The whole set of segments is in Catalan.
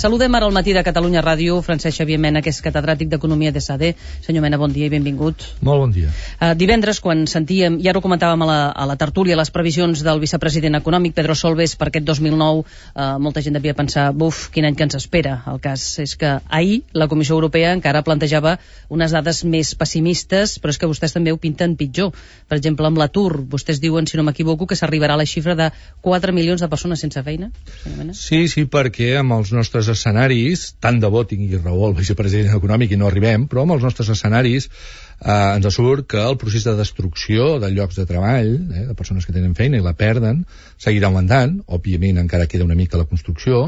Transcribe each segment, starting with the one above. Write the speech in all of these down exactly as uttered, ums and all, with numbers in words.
Saludem ara al matí de Catalunya Ràdio Francesc Xavier Mena, que és catedràtic d'Economia d'E S A D. Senyor Mena, bon dia i benvingut. Molt bon dia. Uh, divendres, quan sentíem, ja ho comentàvem a la, a la tertúlia, les previsions del vicepresident econòmic, Pedro Solbes, per aquest dos mil nou, uh, molta gent devia pensar, buf, quin any que ens espera. El cas és que ahir la Comissió Europea encara plantejava unes dades més pessimistes, però és que vostès també ho pinten pitjor. Per exemple, amb l'atur, vostès diuen, si no m'equivoco, que s'arribarà a la xifra de quatre milions de persones sense feina. Sí, sí, perquè amb els nostres escenaris, tant de bo tingui raó el vicepresident econòmic i no arribem, però amb els nostres escenaris eh, ens surt que el procés de destrucció de llocs de treball, eh, de persones que tenen feina i la perden, seguirà augmentant. Òbviament encara queda una mica la construcció,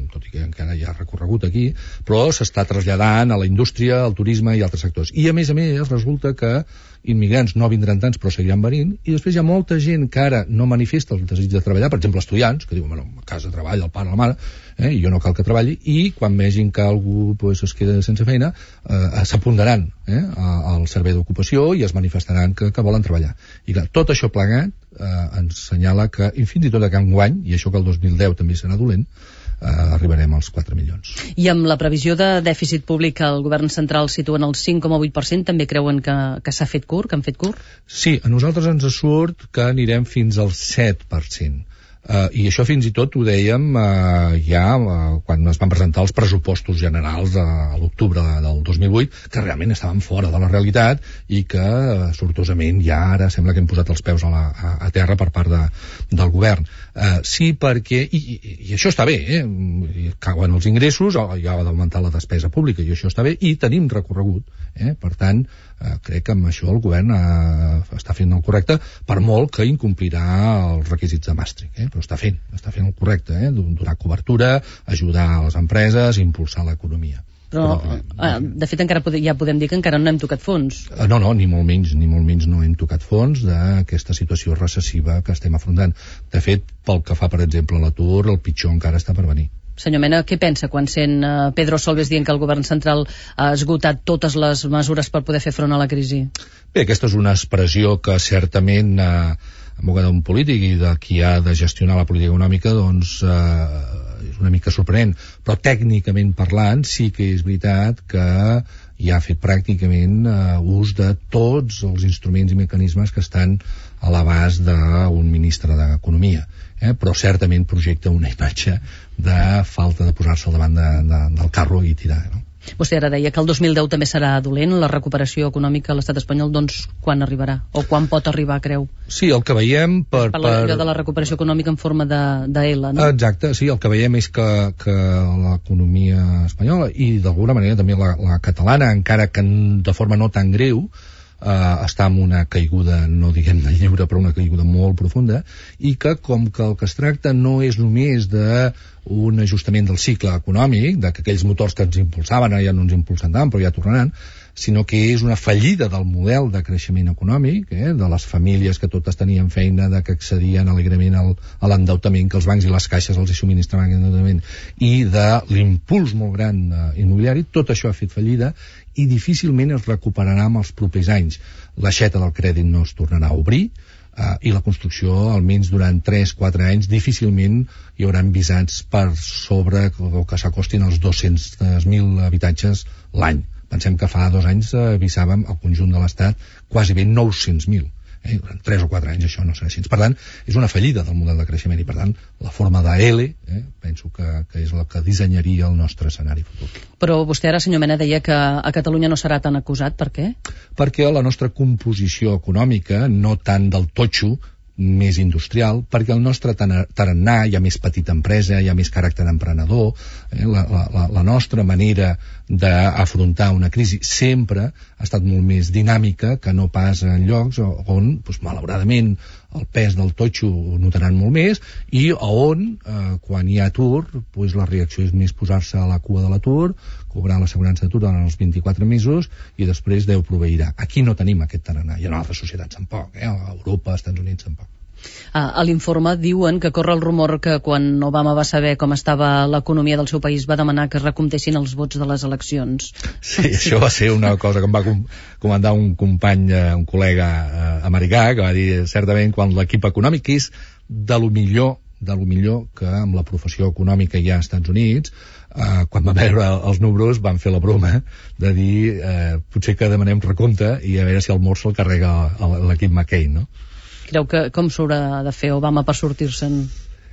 tot i que encara hi ha recorregut aquí, però s'està traslladant a la indústria, al turisme i altres sectors. I a més a més resulta que immigrants no vindran tants però seguiran venint, i després hi ha molta gent que ara no manifesta el desig de treballar, per exemple estudiants, que diuen, bueno, a casa treballa el pare o la mare, eh, i jo no cal que treballi, i quan vegin que algú pues, es queda sense feina, eh, s'apuntaran eh, al servei d'ocupació i es manifestaran que, que volen treballar. I clar, tot això plegat eh, ens senyala que, i fins i tot que enguany, i això que el dos mil deu també serà dolent, Uh, arribarem als quatre milions. I amb la previsió de dèficit públic que el govern central situa en el cinc coma vuit per cent, també creuen que, que s'ha fet curt, que han fet curt? Sí, a nosaltres ens surt que anirem fins al set per cent. Uh, I això fins i tot ho dèiem uh, ja uh, quan es van presentar els pressupostos generals uh, a l'octubre del dos mil vuit, que realment estaven fora de la realitat i que uh, sortosament ja ara sembla que hem posat els peus a, la, a, a terra per part de, del govern. Uh, sí, perquè, i, i, i això està bé, eh? Cauen els ingressos, hi ha d'augmentar la despesa pública i això està bé, i tenim recorregut, eh? Per tant, uh, crec que amb això el govern uh, està fent el correcte, per molt que incomplirà els requisits de Maastricht, eh? Però està fent, està fent el correcte, eh? Donar cobertura, ajudar a les empreses, impulsar l'economia. Però, eh, de fet, encara pode, ja podem dir que encara no hem tocat fons. No, no, ni molt menys, ni molt menys no hem tocat fons d'aquesta situació recessiva que estem afrontant. De fet, pel que fa, per exemple, a l'atur, el pitjor encara està per venir. Senyor Mena, què pensa quan sent uh, Pedro Solbes dient que el govern central ha esgotat totes les mesures per poder fer front a la crisi? Bé, aquesta és una expressió que certament eh, en boca d'un polític i de qui ha de gestionar la política econòmica, doncs eh, és una mica sorprenent, però tècnicament parlant sí que és veritat que ja ha fet pràcticament eh, ús de tots els instruments i mecanismes que estan a l'abast d'un ministre d'Economia, eh? Però certament projecta una imatge de falta de posar-se al davant de, de, del carro i tirar, no? Vostè ara deia que el dos mil deu també serà dolent, la recuperació econòmica a l'estat espanyol, doncs quan arribarà? O quan pot arribar, creu? Sí, el que veiem per... Parla per... de la recuperació econòmica en forma de, de L, no? Exacte, sí, el que veiem és que, que l'economia espanyola i d'alguna manera també la, la catalana, encara que de forma no tan greu, eh, està en una caiguda, no diguem de lliure, però una caiguda molt profunda, i que com que el que es tracta no és només de un ajustament del cicle econòmic, de que aquells motors que ens impulsaven ja no ens impulsen tant, però ja tornaran, sinó que és una fallida del model de creixement econòmic, eh, de les famílies que totes tenien feina, de que accedien alegrement al, a l'endeutament, que els bancs i les caixes els hi subministraven endeutament, i de l'impuls molt gran eh, immobiliari. Tot això ha fet fallida i difícilment es recuperarà en els propers anys. L'aixeta del crèdit no es tornarà a obrir, Uh, i la construcció, almenys durant tres a quatre anys, difícilment hi hauran visats per sobre o que s'acostin als dos-cents mil habitatges l'any. Pensem que fa dos anys uh, visàvem al conjunt de l'Estat quasi bé nou-cents mil. Eh? Durant tres o quatre anys això no serà així. Per tant, és una fallida del model de creixement i, per tant, la forma de L eh, penso que, que és la que dissenyaria el nostre escenari futur. Però vostè ara, senyor Mena, deia que a Catalunya no serà tan acusat. Per què? Perquè la nostra composició econòmica, no tant del totxo, més industrial, perquè el nostre tarannà hi ha més petita empresa, hi ha més caràcter emprenedor, eh? la, la, la nostra manera d'afrontar una crisi sempre ha estat molt més dinàmica que no pas en llocs on, doncs, malauradament, el pes del totxo ho notaran molt més i on, eh, quan hi ha atur, doncs la reacció és més posar-se a la cua de l'atur, cobrar l'assegurança d'atur durant els vint-i-quatre mesos i després Déu proveirà. Aquí no tenim aquest tarannà, i en altres societats tampoc, eh? A Europa, als Estats Units tampoc. Ah, a l'informe diuen que corre el rumor que quan Obama va saber com estava l'economia del seu país va demanar que es recomptessin els vots de les eleccions. Sí, això va ser una cosa que em va com comentar un company, un col·lega eh, americà, que va dir certament quan l'equip econòmic és de lo millor de lo millor que amb la professió econòmica hi ha als Estats Units, eh, quan van veure els números van fer la broma de dir eh, potser que demanem recompte i a veure si el mort se'l carrega l'equip McCain, no? Creu que com s'haurà de fer Obama per sortir-se'n?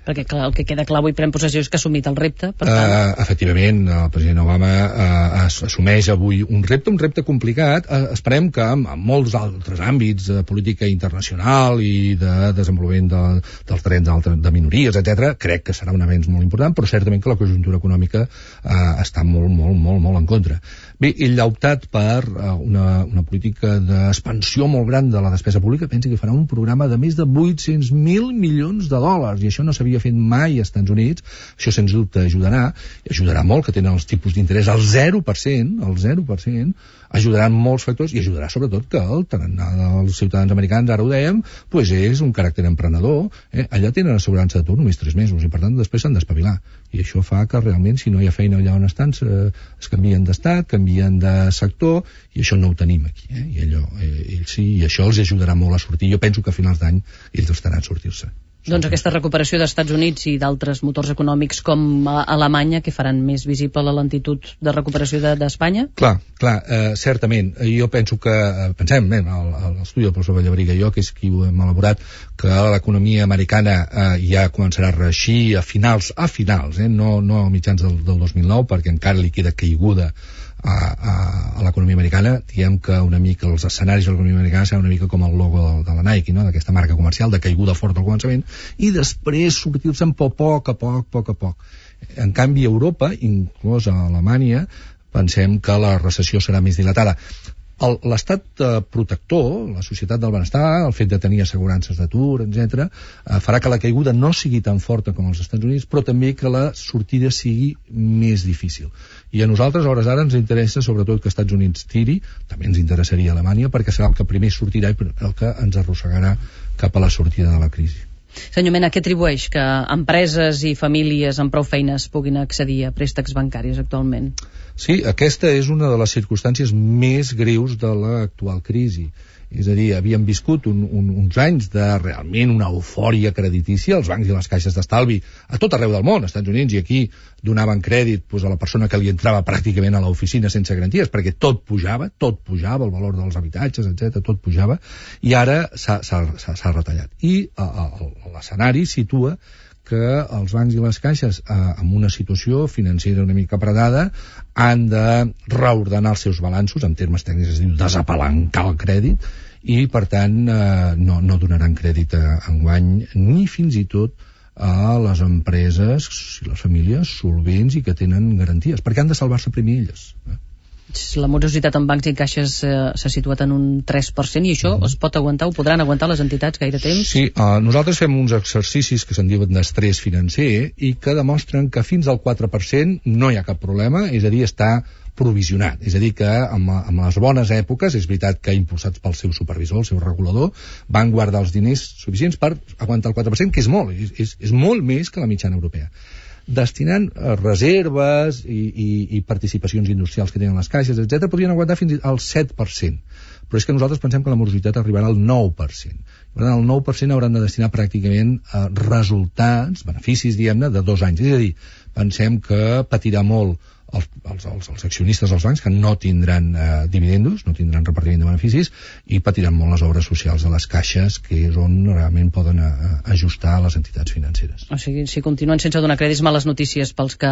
Perquè clar, el que queda clar avui pren possessió és que ha assumit el repte, per tant... Uh, efectivament, el president Obama uh, assumeix avui un repte, un repte complicat. Uh, esperem que en, en molts altres àmbits de política internacional i de desenvolupament de, dels drets de minories, etcètera, crec que serà un avenç molt important, però certament que la conjuntura econòmica uh, està molt, molt, molt, molt en contra. Bé, ell ha optat per uh, una, una política d'expansió molt gran de la despesa pública. Pensi que farà un programa de més de vuit-cents mil milions de dòlars, i això no s'havia fet mai als Estats Units. Això sens dubte ajudarà, i ajudarà molt, que tenen els tipus d'interès al zero per cent, al zero per cent, ajudaran molts factors, i ajudarà sobretot que el tarannà dels ciutadans americans, ara ho dèiem, pues és un caràcter emprenedor, eh? Allà tenen assegurança d'atur només tres mesos, i per tant després s'han d'espavilar, i això fa que realment, si no hi ha feina allà on estan, es canvien d'estat, canvien de sector, i això no ho tenim aquí, eh? I allò, eh, ells sí, i això els ajudarà molt a sortir. Jo penso que a finals d'any ells estaran a sortir-se. Doncs aquesta recuperació dels Estats Units i d'altres motors econòmics com a Alemanya, que faran més visible la lentitud de recuperació d'Espanya? De, clar, clar, eh, certament. Jo penso que, eh, pensem, eh, l'estudi del professor Vallabrig i jo, que és qui ho hem elaborat, que l'economia americana eh, ja començarà a reeixir a finals, a finals, eh, no, no a mitjans del, del dos mil nou, perquè encara li queda caiguda a, a, a l'economia americana. Diem que una mica els escenaris de l'economia americana seran una mica com el logo de, de la Nike, no? D'aquesta marca comercial, de caiguda forta al començament, i després sortir-se'n a poc a poc, poc a poc. En canvi, a Europa, inclòs a Alemanya, pensem que la recessió serà més dilatada. L'estat eh, protector, la societat del benestar, el fet de tenir assegurances d'atur, etcètera, eh, farà que la caiguda no sigui tan forta com als Estats Units, però també que la sortida sigui més difícil. I a nosaltres, a hores d'ara, ens interessa sobretot que els Estats Units tiri, també ens interessaria Alemanya, perquè serà el que primer sortirà i el que ens arrossegarà cap a la sortida de la crisi. Senyor Mena, què atribueix que empreses i famílies amb prou feines puguin accedir a préstecs bancaris actualment? Sí, aquesta és una de les circumstàncies més greus de l'actual crisi. És a dir, havíem viscut un, un, uns anys de realment una eufòria creditícia, els bancs i les caixes d'estalvi a tot arreu del món, als Estats Units i aquí, donaven crèdit pues, a la persona que li entrava pràcticament a l'oficina sense garanties, perquè tot pujava, tot pujava, el valor dels habitatges, etcètera, tot pujava, i ara s'ha retallat. I l'escenari situa que els bancs i les caixes, eh, amb una situació financera una mica predada, han de reordenar els seus balanços, en termes tècnics es diu desapalancar el crèdit, i per tant eh, no, no donaran crèdit a enguany ni fins i tot a les empreses i les famílies solvents i que tenen garanties, perquè han de salvar-se primer elles. Eh? La morositat en bancs i caixes eh, s'ha situat en un tres per cent, i això mm. es pot aguantar, ho podran aguantar les entitats gaire temps? Sí, uh, nosaltres fem uns exercicis que se'n diuen d'estrès financer i que demostren que fins al quatre per cent no hi ha cap problema, és a dir, està provisionat, és a dir que amb, amb les bones èpoques, és veritat que impulsats pel seu supervisor, el seu regulador, van guardar els diners suficients per aguantar el quatre per cent, que és molt, és, és, és molt més que la mitjana europea. Destinant reserves i, i, i participacions industrials que tenen les caixes, etcètera, podrien aguantar fins al set per cent. Però és que nosaltres pensem que la morositat arribarà al nou per cent. Per tant, el nou per cent hauran de destinar pràcticament a resultats, beneficis, diguem-ne, de dos anys. És a dir, pensem que patirà molt els, els, els, els accionistes dels bancs, que no tindran eh, dividendos, no tindran repartiment de beneficis, i patiran molt les obres socials de les caixes, que és on realment poden a, a ajustar les entitats financeres. O sigui, si continuen sense donar crèdits, males notícies pels que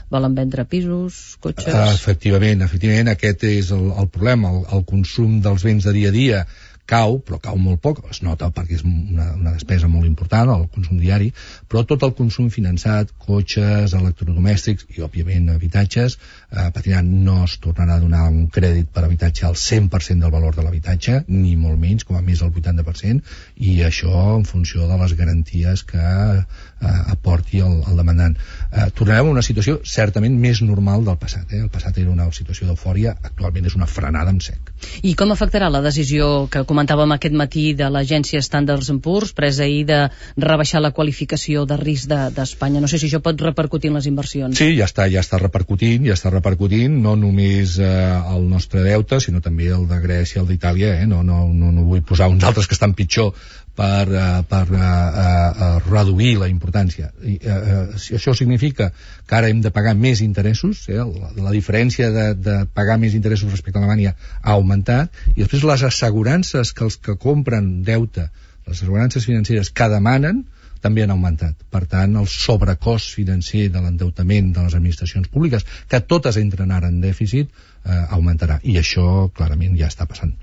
volen vendre pisos, cotxes... Uh, efectivament, efectivament, aquest és el, el problema. El, el consum dels béns de dia a dia cau, però cau molt poc, es nota perquè és una, una despesa molt important, el consum diari, però tot el consum finançat, cotxes, electrodomèstics i, òbviament, habitatges, eh, patiran. No es tornarà a donar un crèdit per habitatge al cent per cent del valor de l'habitatge, ni molt menys, com a més el vuitanta per cent, i això en funció de les garanties que eh, aporti el, el demandant. Eh, tornarem a una situació certament més normal del passat. Eh? El passat era una situació d'eufòria, actualment és una frenada en sec. I com afectarà la decisió que comentàvem aquest matí de l'agència Standard and Poor's, presa ahir, de rebaixar la qualificació de risc d'Espanya? De, no sé si això pot repercutir en les inversions. Sí, ja està, ja està repercutint, ja està repercutint, no només eh, el nostre deute, sinó també el de Grècia, el d'Itàlia, eh? no, no, no, no vull posar uns altres que estan pitjor, per, uh, per uh, uh, reduir la importància. I, uh, uh, si això significa que ara hem de pagar més interessos, eh? la, la diferència de, de pagar més interessos respecte a Alemanya ha augmentat, i després les assegurances que els que compren deute, les assegurances financeres que demanen, també han augmentat. Per tant, el sobrecost financer de l'endeutament de les administracions públiques, que totes entren ara en dèficit, eh, augmentarà. I això clarament ja està passant.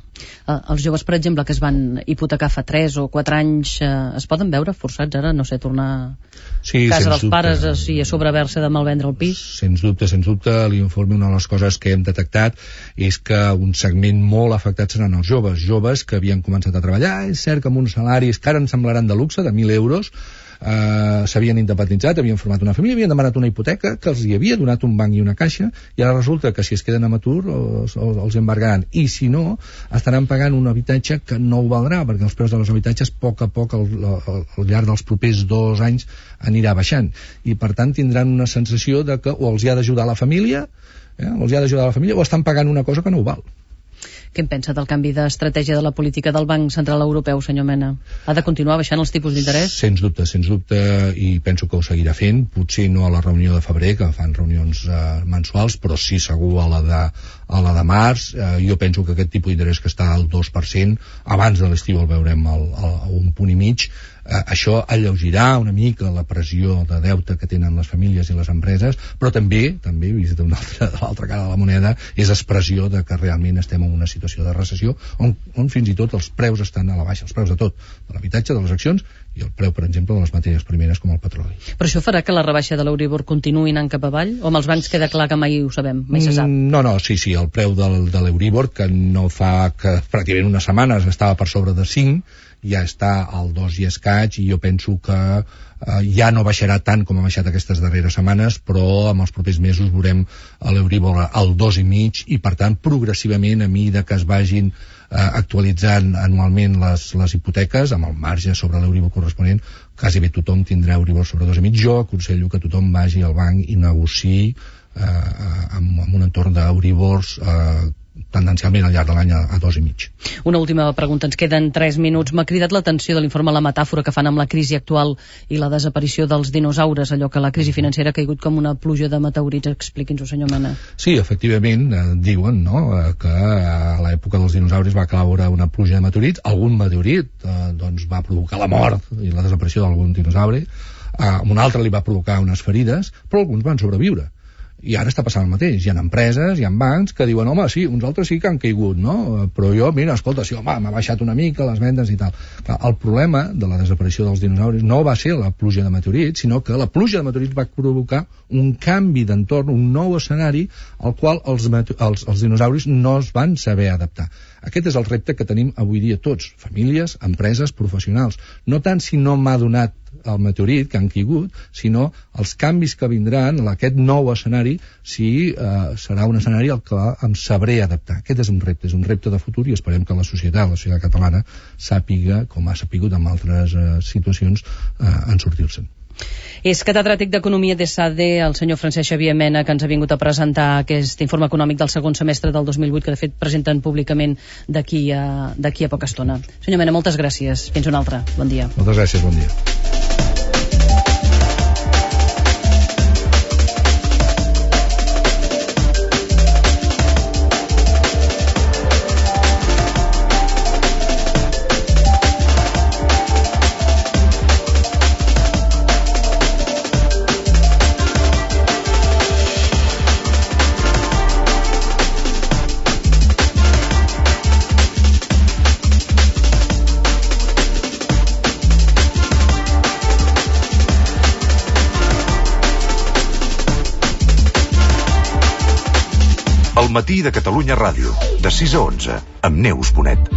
Uh, els joves, per exemple, que es van hipotecar fa tres o quatre anys, uh, es poden veure forçats ara, no sé, tornar sí, a casa dels dubte. pares i a sobrehaver-se de malvendre el pis? Sens dubte, sens dubte, l'informe, una de les coses que hem detectat és que un segment molt afectat seran els joves, joves que havien començat a treballar, és cert que amb uns salaris que ara ens semblaran de luxe, de mil euros, Uh, s'havien independitzat, havien format una família, havien demanat una hipoteca que els hi havia donat un banc i una caixa, i ara resulta que si es queden amb atur els, els embargaran, i si no estaran pagant un habitatge que no ho valdrà, perquè els preus dels habitatges a poc a poc al, al, al llarg dels propers dos anys anirà baixant, i per tant tindran una sensació de que o els hi ha d'ajudar la família, eh, o els hi ha d'ajudar la família, o estan pagant una cosa que no ho val. Què en pensa del canvi d'estratègia de la política del Banc Central Europeu, senyor Mena? Ha de continuar baixant els tipus d'interès? Sens dubte, sens dubte, i penso que ho seguirà fent, potser no a la reunió de febrer, que fan reunions eh, mensuals, però sí segur a la de, a la de març. Eh, jo penso que aquest tipus d'interès que està al dos per cent, abans de l'estiu el veurem al, al, a un punt i mig, eh, això alleugerà una mica la pressió de deute que tenen les famílies i les empreses, però també, també vist d'una altra, de l'altra cara de la moneda, és expressió de que realment estem en una situació de recessió on, on fins i tot els preus estan a la baixa, els preus de tot, de l'habitatge, de les accions, i el preu, per exemple, de les matèries primeres com el petroli. Però això farà que la rebaixa de l'Euribor continuï anant cap avall? O amb els bancs queda clar que mai ho sabem, mai se sap? No, no, sí, sí, el preu del, de l'Euribor, que no fa que pràcticament unes setmanes estava per sobre de cinc, ja està al dos i escaig, i jo penso que eh, ja no baixarà tant com ha baixat aquestes darreres setmanes, però en els propers mesos veurem l'Euribor al dos i mig, i per tant progressivament, a mesura que es vagin eh, actualitzant anualment les, les hipoteques, amb el marge sobre l'Euribor corresponent, quasi bé tothom tindrà Euribor sobre dos i mig. Jo aconsello que tothom vagi al banc i negociï eh, amb, amb un entorn d'Euribors eh, tendencialment al llarg de l'any a, a dos i mig. Una última pregunta, ens queden tres minuts. M'ha cridat l'atenció de l'informe la metàfora que fan amb la crisi actual i la desaparició dels dinosaures, allò que la crisi financera ha caigut com una pluja de meteorits. Expliqui'ns-ho, senyor Mena. Sí, efectivament, eh, diuen no, eh, que a l'època dels dinosaures va caure una pluja de meteorits, algun meteorit eh, doncs va provocar la mort i la desaparició d'algun dinosaure, eh, un altre li va provocar unes ferides, però alguns van sobreviure. I ara està passant el mateix. Hi ha empreses, hi ha bancs que diuen, home, sí, uns altres sí que han caigut, no? Però jo, mira, escolta, sí, home, m'ha baixat una mica les vendes i tal. Clar, el problema de la desaparició dels dinosaures no va ser la pluja de meteorits, sinó que la pluja de meteorits va provocar un canvi d'entorn, un nou escenari al qual els, els, els dinosaures no es van saber adaptar. Aquest és el repte que tenim avui dia tots, famílies, empreses, professionals. No tant si no m'ha donat el meteorit que han caigut, sinó els canvis que vindran, aquest nou escenari, si eh, serà un escenari al que em sabré adaptar. Aquest és un repte, és un repte de futur, i esperem que la societat, la societat catalana, sàpiga, com ha sapigut en altres eh, situacions, eh, en sortir-se'n. És catedràtic d'Economia de SADE, el senyor Francesc Xavier Mena, que ens ha vingut a presentar aquest informe econòmic del segon semestre del dos mil vuit, que de fet presenten públicament d'aquí a, d'aquí a poca estona. Senyor Mena, moltes gràcies. Fins una altra. Bon dia. Moltes gràcies, bon dia. El matí de Catalunya Ràdio, de sis a onze, amb Neus Bonet.